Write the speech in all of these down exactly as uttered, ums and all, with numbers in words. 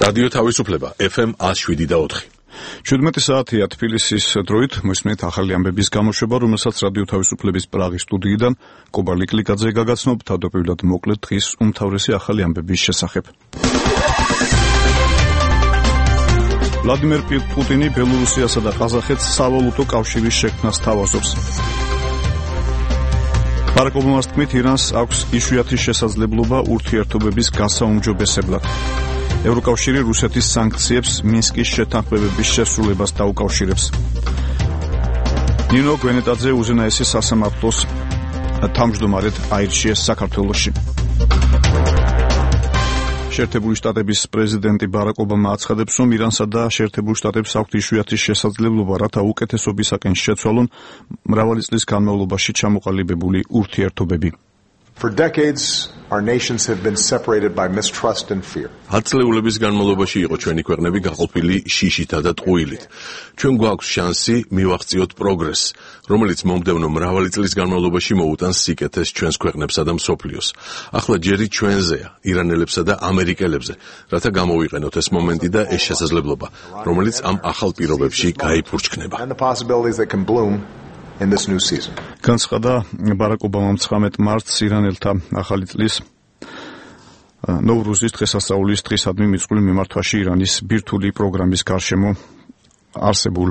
რადიო თავისუფლება ეფ ემ ათს შვიდი და ოთხი. შვიდმეტი საათია თბილისის დროით, მოისმენთ ახალი ამბების გამოშვება, რომელსაც რადიო თავისუფლების პრაღის სტუდიიდან კობა ლიკლიკაძე გაგაცნობ, თავდაპირველად მოკლედ დღის უმთავრესი ახალი ამბების შესახებ. ვლადიმერ პუტინი ბელორუსიასა და ყაზახეთს სავალუტო კავშირის შექმნას თავაზობს. ბარაკ ობამას თქმით, ირანს აქვს იშვიათი შესაძლებლობა ურთიერთობების გასაუმჯობესებლად. ევროკავშირი რუსეთის სანქციებს მინსკის შეთანხმებების შესრულებას დაუკავშირებს. ნინო გვენეტაძე უზენაესი სასამართლოს თავმჯდომარედ აირჩიეს საქართველოში. შეერთებული შტატების პრეზიდენტი ბარაკ ობამა აცხადებს, რომ ირანსა და შეერთებულ შტატებს აქვთ იშვიათი შესაძლებლობა, რათა უკეთესობისაკენ შეცვალონ მრავალი წლის განმავლობაში ჩამოყალიბებული ურთიერთობები. For decades, our nations have been separated by mistrust and fear. ათწლეულების განმავლობაში იყო ჩვენი ქვეყნები გაყოფილი შიშითა და ტყუილით. ჩვენ გვაქვს შანსი მივაღწიოთ პროგრესს, რომელიც მომდევნო მრავალი წლის განმავლობაში მოუტანს სიკეთეს ჩვენს ქვეყნებსა და მსოფლიოს. ახლა ჯერი ჩვენზეა, ირანელებსა და ამერიკელებზე, რათა გამოვიყენოთ ეს მომენტი და ეს შესაძლებლობა, რომელიც ამ ახალ პირობებში გაიფურჩქნება. And the possibilities that can bloom in this new season. განცხადა ბარაკ ობამამ ცხრამეტ მარტს ირანელთა ახალი წლის ნოვრუზის დღესასწაულის დღისადმი მიწყვლილ მიმართვაში ირანის ბირთვული პროგრამის გარშემო არსებულ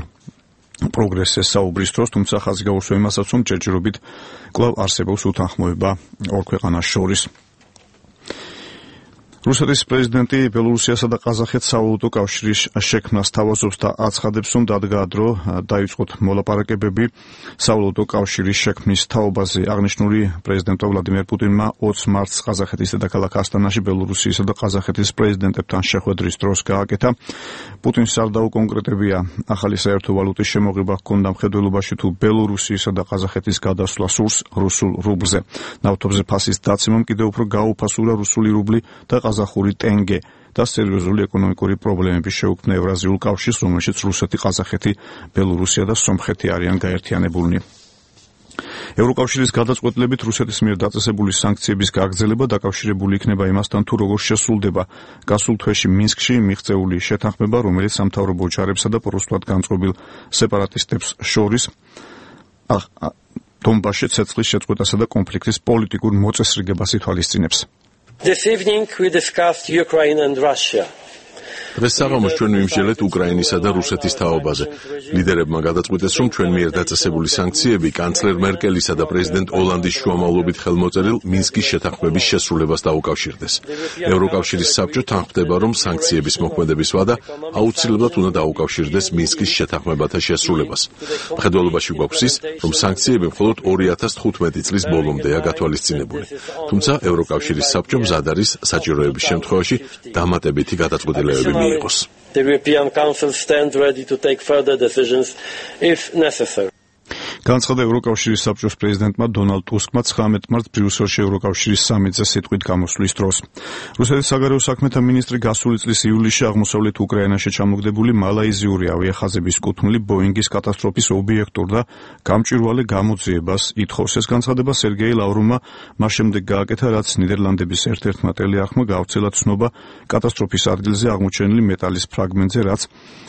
პროგრესს საუბრის დროს, თუმცა ხაზი გაუსვა იმასაც, რომ ჯერჯერობით კვლავ არსებობს უთანხმოება ორ ქვეყანას შორის. რუსეთის პრეზიდენტი ბელორუსიასა და ყაზახეთს სავალუტო კავშირის შექმნას თავაზობს და აცხადებს, რომ დადგა დრო დაიწყოთ მოლაპარაკებები სავალუტო კავშირის შექმნის თაობაზე. აღნიშნული პრეზიდენტ ვლადიმერ პუტინმა ოცს მარტს ყაზახეთის დედაქალაქ ასტანაში ბელორუსიისა და ყაზახეთის პრეზიდენტებთან შეხვედრის დროს გააკეთა. პუტინს არ დაუკონკრეტებია ახალი საერთო ვალუტის შემოღება ჰქონდა მხედველობაში თუ ბელორუსიისა და ყაზახეთის გადასვლა სურს რუსულ რუბლზე. ნავთობზე ფასის დაცემამ კიდევ უფრო გაუფასურა რუსული რუბლი და ყაზახური ტენგე და სერიოზული ეკონომიკური პრობლემები შეუქმნა ევრაზიულ კავშირს, რომელშიც რუსეთი, ყაზახეთი, ბელორუსია და სომხეთი არიან გაერთიანებულნი. ევროკავშირის გადაწყვეტილებით რუსეთის მიერ დაწესებული სანქციების გაგრძელება დაკავშირებული იქნება იმასთან, თუ როგორ შესრულდება გასულ თვეში მინსკში მიღწეული შეთანხმება, რომელიც სამთავრობო ჯარებსა და პროსტად განწყობილ სეპარატისტებს შორის დონბასში ცეცხლის შეწყვეტასა და კონფლიქტის პოლიტიკურ მოწესრიგებას ითვალისწინებს. This evening we discussed Ukraine and Russia. დღეს საღამოს ჩვენ ვიმსჯელეთ უკრაინისა და რუსეთის თაობაზე. ლიდერებმა გადაწყვიტეს, რომ ჩვენ მიერ დაწესებული სანქციები კანცლერ მერკელისა და პრეზიდენტ ოლანდის შუამავლობით ხელმოწერილ მინსკის შეთანხმების შესრულებას დაუკავშირდეს. ევროკავშირის საბჭო თანხმდება, რომ სანქციების მოქმედების ვადა აუცილებლად უნდა დაუკავშირდეს მინსკის შეთანხმებათა შესრულებას. მხედველობაში გვაქვს ის, რომ სანქციები მხოლოდ ორი ათას თხუთმეტი წლის ბოლომდეა გათვალისწინებული. თუმცა ევროკავშირის საბჭო მზად არის საჭიროების შემთხვევაში დამატებითი გადაწყვეტილებები მიიღოს. The European Council stands ready to take further decisions if necessary. განცხადა ევროკავშირის საბჭოს პრეზიდენტმა დონალდ ტუსკმა ცხრამეტ მარტს ბრიუსელში ევროკავშირის სამიტზე სიტყვით გამოსვლის დროს. რუსეთის საგარეო საქმეთა მინისტრი გასული წლის ივლისში აღმოსავლეთ უკრაინაში ჩამოგდებული მალაიზიური ავიახაზების კუთვნილი ბოინგის კატასტროფის ობიექტურ და გამჭვირვალე გამოძიებას ითხოვს. ეს განცხადება სერგეი ლავროვმა მას შემდეგ გააკეთა, რაც ნიდერლანდების ერთ-ერთმა ტელეარხმა გავრცელა ცნობა კატასტროფის ადგილზე აღმოჩენილი მეტალის ფრაგმენტზე, რაც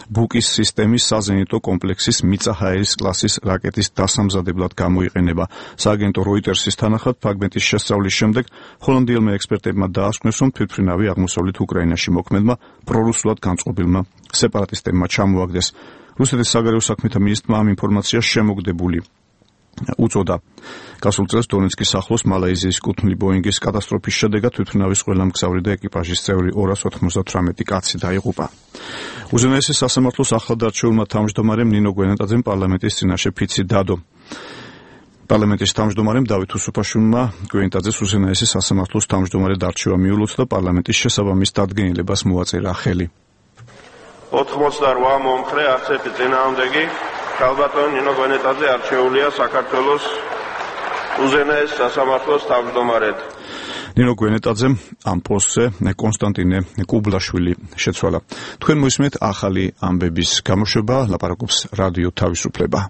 ბუკის სისტემის საზენიტო კომპლექსის მიწა-ჰაერის კლასის რაკეტის დასამზადებლად გამოიყენება. სააგენტო როიტერსის თანახმად ფრაგმენტის შესწავლის შემდეგ ჰოლანდიელმა ექსპერტებმა დაასკვნეს, რომ თვითმფრინავი აღმოსავლეთ უკრაინაში მოქმედმა პრორუსულად განწყობილმა სეპარატისტებმა ჩამოაგდეს. რუსეთის საგარეო საქმეთა მინისტრმა ამ ინფორმაციას შემოგდებული უწოდა. გასულ წელს დონეცკის ახლოს მალაიზიის კუთვნილი ბოინგის კატასტროფის შედეგად თვითმფრინავის ყველა მგზავრი და ეკიპაჟის წევრი ორას ოთხმოცდათვრამეტი კაცი დაიღუპა. უზენაესი სასამართლოს ახლად არჩეულმა თავმჯდომარემ ნინო გვენეტაძემ პარლამენტის წინაშე ფიცი დადო. პარლამენტის თავმჯდომარემ დავით უსუფაშვილმა გვენეტაძეს უზენაესი სასამართლოს თავმჯდომარედ არჩევა მიულოცა და პარლამენტის შესაბამის დადგენილებას მოაწერა ხელი. ოთხმოცდარვა მომხრე, არც ერთი წინააღმდეგი. ქალბატონ ნინო გვენეტაძე არჩეულია საქართველოს უზენაეს სასამართლოს თავმჯდომარედ. ნინო გვენეტაძემ ამ პოსტზე კონსტანტინე კუბლაშვილი შეცვალა. თქვენ მოისმენთ ახალი ამბების გამოშვება, ლაპარაკობს რადიო თავისუფლება.